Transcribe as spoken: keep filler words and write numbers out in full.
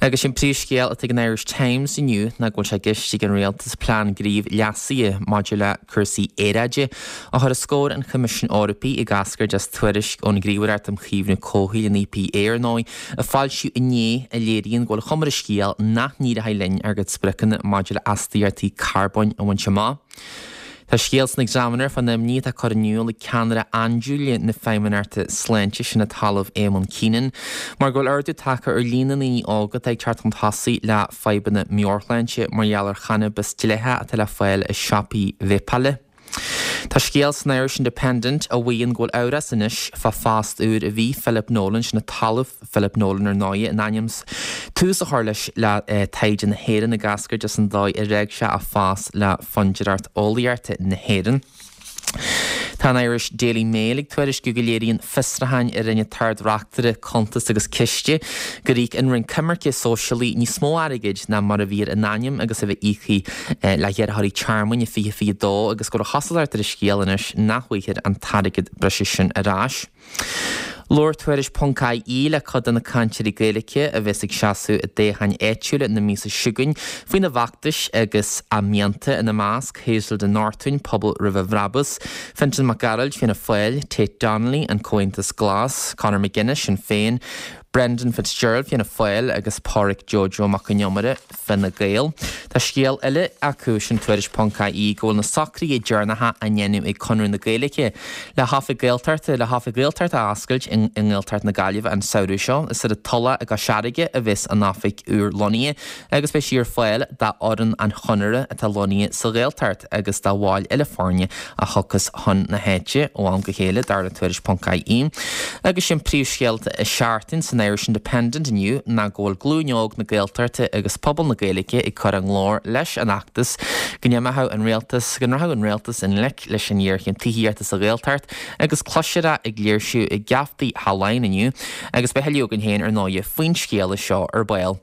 Agus sin príomhscéal atá ag an Irish Times inniu ná go bhfuil sé i gceist ag an rialtas plean gnímh leasaithe maidir le cúrsaí aeráide a chur os comhair an Choimisiúin Eorpaigh ag eascairt as tuairisc ón nGníomhaireacht um Chaomhnú Comhshaoil an EPA ar ndóigh a foilsíodh inné a léiríonn go bhfuil cuma ar an scéal nach n-éireoidh linn ár gcuid spriocanna maidir le astaíochtaí carbóin a bhaint amach. Tá scéal san Examiner fán imní atá curtha in iúl ag ceannaire andúile na Feidhmeannachta Sláinte sin an tOllamh Eamon Keenan, mar go bhfuil ardú tagtha ar líon na ndaoine óga atá ag teacht chun tosaigh le fadhbanna meabhairshláinte mar gheall ar channabas dleathach atá le fáil i siopaí veidhpeála. Tá scéal san Irish Independent a mhaíonn go bhfuil amhras anois fá phost úr a bhí Philip Nolan sin an tOllamh Philip Nolan ar ndóigh in ainm is tús a chur leis le eh, taighde na hÉireann ag eascairt as an dóigh ar fhág sé a phost le Fondúireacht Eolaíochta na hÉireann. Tá an Irish Daily Mail ag tuairisciú go léiríonn fiosrúchán a rinne an tArd-Reachtaire Cuntas agus Ciste gur íoc an Roinn Coimirce Sóisialaí níos mó airgid ná mar a bhí ar a n-ainm agus a bheith íoctha eh, le hiarrthóirí tearmainn i fiche fiche dó agus go bhfuil an chosúlacht ar an scéal anois nach bhfaighfear an t-airgead breise sin ar ais. Labhair Tuairisc ponc ie le cuid de na cainteoirí Gaeilge a bheas ag seasamh i dtoghcháin áitiúla na míosa seo chugainn faoina bhfeachtais agus a mianta ina measc Hazel de Nortúin Pobal Roimh Bhrabús, Fintan Mac Gearailt Fianna Fáil, Tate Donnelly an Comhaontas Glas, Conor McGuinness Sinn Féin, Brendan Fitzgerald Fianna Fáil agus Pádraig Jojo Mac an Iomaire Fine Gael. Tá scéal eile acu sin Tuairisc ponc ie go bhfuil na socruithe deireanacha á ndéanamh ag Conradh na Gaeilge le hoifig Gaeltachta le hoifig Gaeltachta a oscailt i nGaeltacht na Gaillimhe an samhradh seo is ar an Tulach i gCois Fharraige a bheas an oifig úr lonnaithe agus beidh sí ar fáil d'fhoireann an Chonartha atá lonnaithe sa Ghaeltacht agus do bhaill eile foirne a thiocfas chun na háite ó am go chéile dar le Tuairisc ponc ie. Agus sin príomhscéalta i Seachtain san Irish Independent inniu ná go bhfuil glúin óg na Gaeltachta agus pobal na Gaeilge ag cur a nglór leis an fheachtas go n-imeodh an rialtas go rachadh an rialtas i ngleic leis an ngéarchéim tithíochta sa Ghaeltacht agus cloisfear é ag léirsiú i geaftaí Laighean inniu agus beidh againn féin ar ndóigh faoin scéal seo ar ball.